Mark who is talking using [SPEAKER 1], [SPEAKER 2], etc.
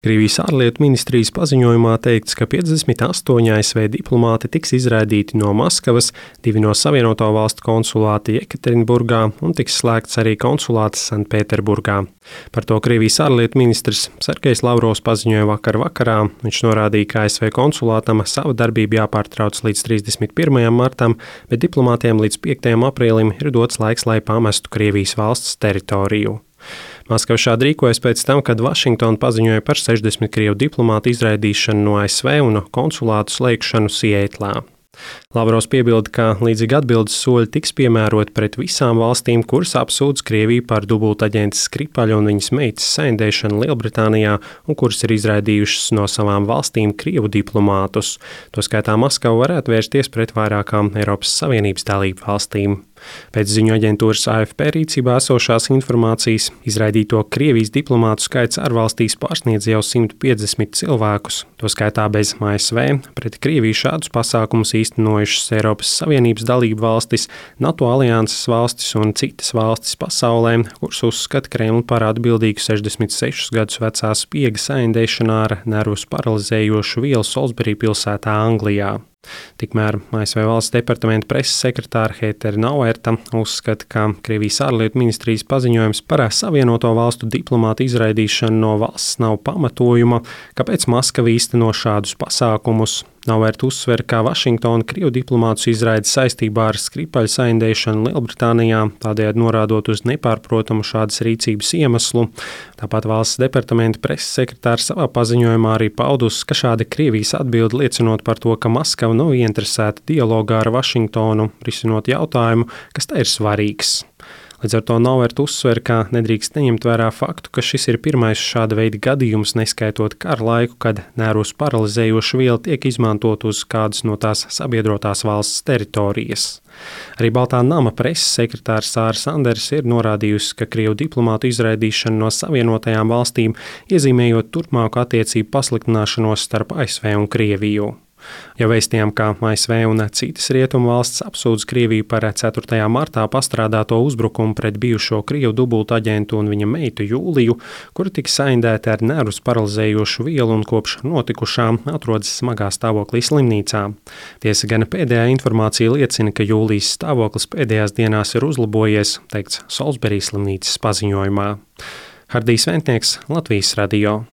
[SPEAKER 1] Krievijas ārlietu ministrijas paziņojumā teikts, ka 58 ASV diplomāti tiks izraidīti no Maskavas, 2 no Savienoto Valstu konsulāti Jekaterinburgā un tiks slēgts arī konsulāts Sanktpēterburgā. Par to Krievijas ārlietu ministrs Sergejs Lavrovs paziņoja vakar vakarā. Viņš norādīja, ka ASV konsulātam sava darbība jāpārtrauc līdz 31. martam, bet diplomātiem līdz 5. aprīlim ir dots laiks, lai pamestu Krievijas valsts teritoriju. Maskava šādi rīkojas pēc tam, kad Vašingtona paziņoja par 60 krievu diplomātu izraidīšanu no ASV un konsulātu slēgšanu Sietlā. Lavrovs piebilda, ka līdzīgi atbildes soļi tiks piemēroti pret visām valstīm, kuras apsūdz Krieviju par dubultaģentes Skripaļa un viņas meitas saindēšanu Lielbritānijā un kuras ir izraidījušas no savām valstīm krievu diplomātus. Toskaitā Maskava varētu vērsties pret vairākām Eiropas Savienības dalību valstīm. Pēc ziņu aģentūras AFP rīcībā esošās informācijas izraidīto Krievijas diplomātu skaits ārvalstīs pārsniedz jau 150 cilvēkus. Toskaitā bez ASV pret Krieviju šādus pasākumus īstenojušas Eiropas Savienības dalību valstis, NATO alianses valstis un citas valstis pasaulē, kuras uzskata Kremli par atbildīgu 66 gadus vecā spiega saindēšanā ar nervus paralizējošu vielu Salisbury pilsētā Anglijā. Tikmēr ASV valsts departamenta preses sekretāra Heather Nauerta uzskata, ka Krievijas ārlietu ministrijas paziņojums par Savienoto Valstu diplomātu izraidīšanu no valsts nav pamatojuma, kāpēc Maskava īsteno šādus pasākumus. Nauerta uzsver, ka Vašingtona krievu diplomātus izraida saistībā ar Skripaļa saindēšanu Lielbritānijā, tādējādi norādot uz nepārprotamu šādas rīcības iemeslu. Tāpat valsts departamenta preses sekretārs savā paziņojumā arī paudus, ka šāda Krievijas atbilde liecinot par to, ka Maskava nav ieinteresēta dialogā ar Vašingtonu, risinot jautājumu, kas tai ir svarīgs. Līdz ar to Nauerta uzsver, ka nedrīkst neņemt vērā faktu, ka šis ir pirmais šāda veida gadījums, neskaitot kara laiku, kad nervus paralizējoša viela tiek izmantot uz kādas no tās sabiedrotās valsts teritorijas. Arī Baltā nama preses sekretārs Sāra Sanders ir norādījusi, ka krievu diplomātu izraidīšana no Savienotajām valstīm iezīmējot turpmāku attiecību pasliktināšanos starp ASV un Krieviju. Jau vēstījām, ka ASV un citas rietumu valsts apsūdz Krieviju par 4. martā pastrādāto uzbrukumu pret bijušo krievu dubultaģentu un viņa meitu Jūliju, kura tika saindēta ar nervus paralizējošu vielu un kopš notikušām atrodas smagā stāvoklī slimnīcā. Tiesa gan pēdējā informācija liecina, ka Jūlijas stāvoklis pēdējās dienās ir uzlabojies, teikts Salisbury slimnīcas paziņojumā. Hardijs Ventnieks, Latvijas radio.